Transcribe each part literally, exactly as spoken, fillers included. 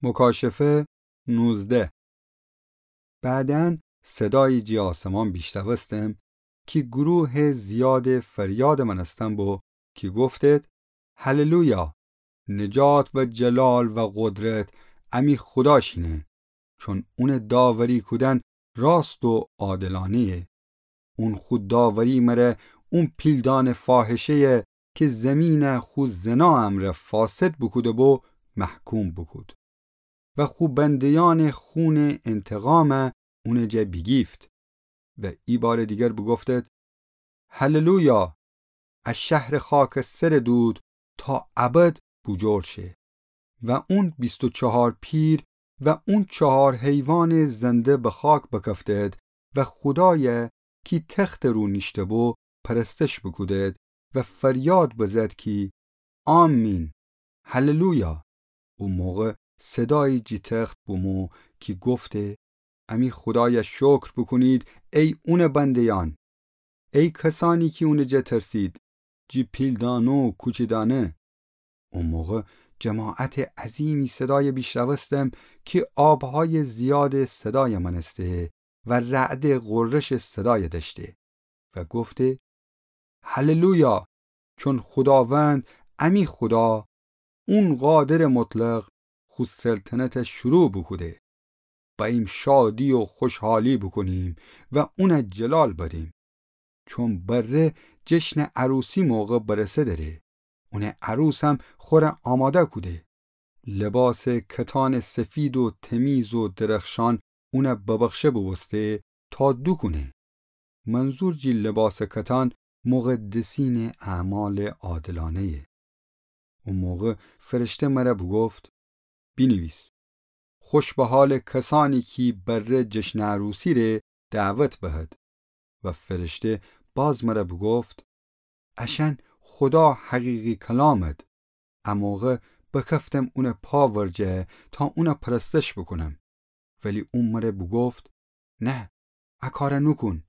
مکاشفه نوزده. بعداً صدایی جی آسمان بیشنوستم کی گروه زیاد فریاد مانستن بو کی گفتید: هللویا! نجات و جلال و قدرت امی خودا شینه، چون اونٚ داوری کودن راست و عادلانه‌یه. اون خو داوری مره اون پیلدانٚ فاحشه‌یه کی زمین خو زنا امرأ فاسد بوکوده بو، محکوم بوکود و خو بنده‌یأنٚ خونٚ انتقام اونٚ جا بیگیفت. و ای بارٚ دیگر بوگفتید: هللویا! ا شهرٚ خاکسترٚ دود تا ابد بوجور شه. و اون بیست و چهار پیر و اون چهار حیوانٚ زنده به خاک بکفتید و خودای کی تختٚ رو نیشته بو پرستش بوکودید و فریاد بزد کی: آمین، هللویا! او موقع صدایی جی تخت بومو کی گفته: امی خودای شکر بوکونید، ای اونٚ بنده‌یأن، ای کسأنی کی اونٚ جا ترسید، جی پیلدانه و کوچیدانه. او موقع جماعتٚ عظیمی صدای بیشنوستم کی آبهای زیادٚ صدای مانسته و رعدٚ غرشٚ صدای دأشته و گفته: هللویا! چون خوداوند، امی خودا، اون قادرٚ مطلق، خو سلطنت شروع بوکوده. بأییم شادی و خوشحالی بوکونیم و اون جلال بدیم. چون بره جشنٚ عروسی موقع برسه دره. اونٚ عروسم خوره آماده کوده. لباسٚ کتانٚ سفید و تمیز و درخشان اون ببخشه بوبوسته تا دوکونه. منظور جی لباسٚ کتان مقدسینٚ اعمالٚ عادلانه‌یه. او موقع فرشته مره بوگفت: بینیویس: خوش به حالٚ کسأنی کی بره جشنٚ عروسی ره دعوت بهد. و فرشته باز مره بوگفت: اشأن خودا حقیقی کلامد. ا موقع بکفتم اونٚ پا ورجه تا اون پرستش بوکونم. ولی او مره بوگفت: نه، ا کار نوکون.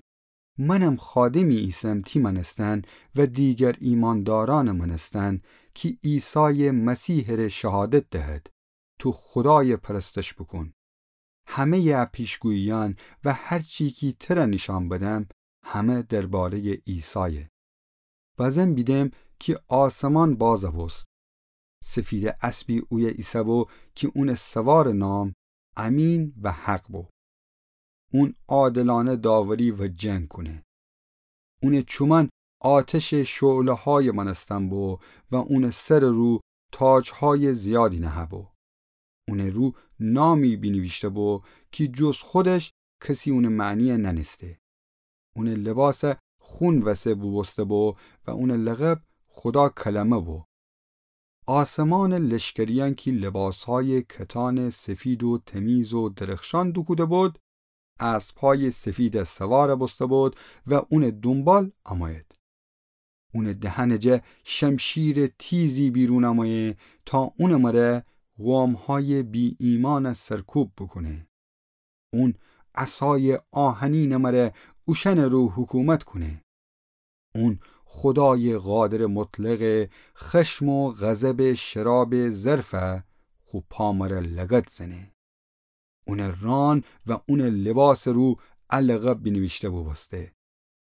منم خادمی ایسم تی مانستن و دیگر ایماندارأنٚ مانستن کی عیسایٚ مسیحٚ ره شهادت دهد. تو خودای پرستش بوکون. همه‌یٚ ا پیشگوییأن و هر چی کی تره نیشأن بدم، همه درباره‌یٚ عیسایه. بازم بیدم کی آسمان باز بوست. سفیدٚ اسبی اویه ایسه‌بو کی اونٚ سوارٚ نام امین و حق بو. اون عادلانه داوری و جنگ کونه. اونٚ چومأن آتشٚ شعله‌های مانستن بو و اونٚ سرٚ رو تاجهای زیادی نهه‌بو. اونٚ رو نامی بینیویشته‌بو کی جز خودش کسی اونٚ معنی نأنسته. اونٚ لباس خون وسه بوبوسته‌بو و اونٚ لقب خودا کلمه بو. آسمانٚ لشکریأن کی لباسهای کتانٚ سفید و تمیز و درخشان دوکوده‌بود، اسبهای سفید سوار بوسته‌بود و اونٚ دونبال امویید. اونٚ دهنٚ جا شمشیرٚ تیزی بیرون امویه تا اونٚ مره قومهای بی‌ایمأن سرکوب بوکونه. اون عصایٚ آهنینٚ مره اوشأنٚ رو حکومت کونه. اون خودایٚ قادرٚ مطلقٚ خشم و غضبٚ شرابٚ ظرف خو پا مره لگد زنه. اونٚ ران و اونٚ لباسٚ رو ا لقب بینیویشته بوبوسته: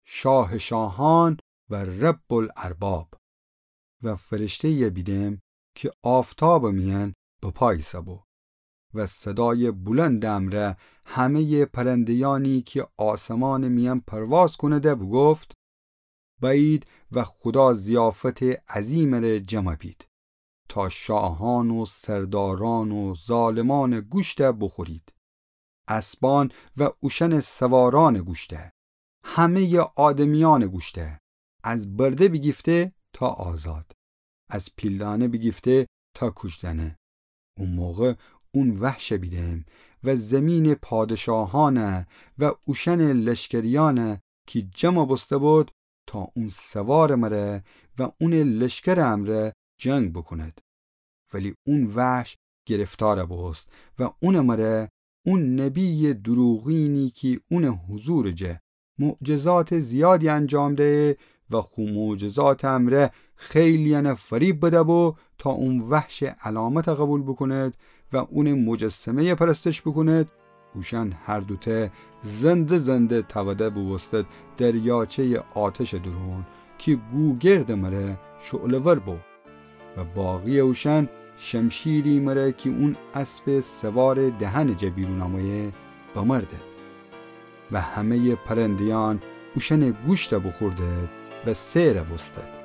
شاهٚ شاهأن و رب‌الأرباب. و فرشته‌یی بیدم کی آفتابٚ میأن به پا ایسه‌بو. و صدایٚ بلندٚ امرأ همه‌یٚ پرنده‌یأنی کی آسمانٚ میأن پرواز کونده بوگفت: بأیید و خودا ضیافتٚ عظیمٚ ره جمع بید، تا شاهأن و سردارأن و ظالمأنٚ گوشت بوخورید. اسبأن و اوشأنٚ سوارأنٚ گوشت، همه‌یٚ آدمیأنٚ گوشت، از برده بیگیفته تا آزاد، از پیلدانه بیگیفته تا کوجدأنه. او موقع اون وحش بیدم و زیمینٚ پادشاهأن و اوشأنٚ لشکریأن کی جمع بوسته‌بود تا اون سوارٚ مره و اونٚ لشکرٚ امرأ جنگ بوکوند. ولی اون وحش گرفتار بوست و اونٚ مره اون نبیٚ دروغینی کی اونٚ حضورٚ جا معجزاتٚ زیادی انجام دهه و خو معجزاتٚ امرأ خیلیأن فریب بده‌بو تا اون وحش علامت قبول بوکوند و اونٚ مجسمه‌یَ پرستش بوکونید، اوشأن هر دوتأ زنده زنده تأوده بوبوستید دریاچه‌یٚ آتشٚ دورون کی گوگردٚ مره شعله‌ور بو. و باقی‌یٚ اوشأن شمشیری مره کی اون اسبٚ سوارٚ دهنٚ جا بیرون آمویه بمردید. و همه‌یٚ پرنده‌یأن اوشأنٚ گوشتَ بوخوردید و سئر بوستید.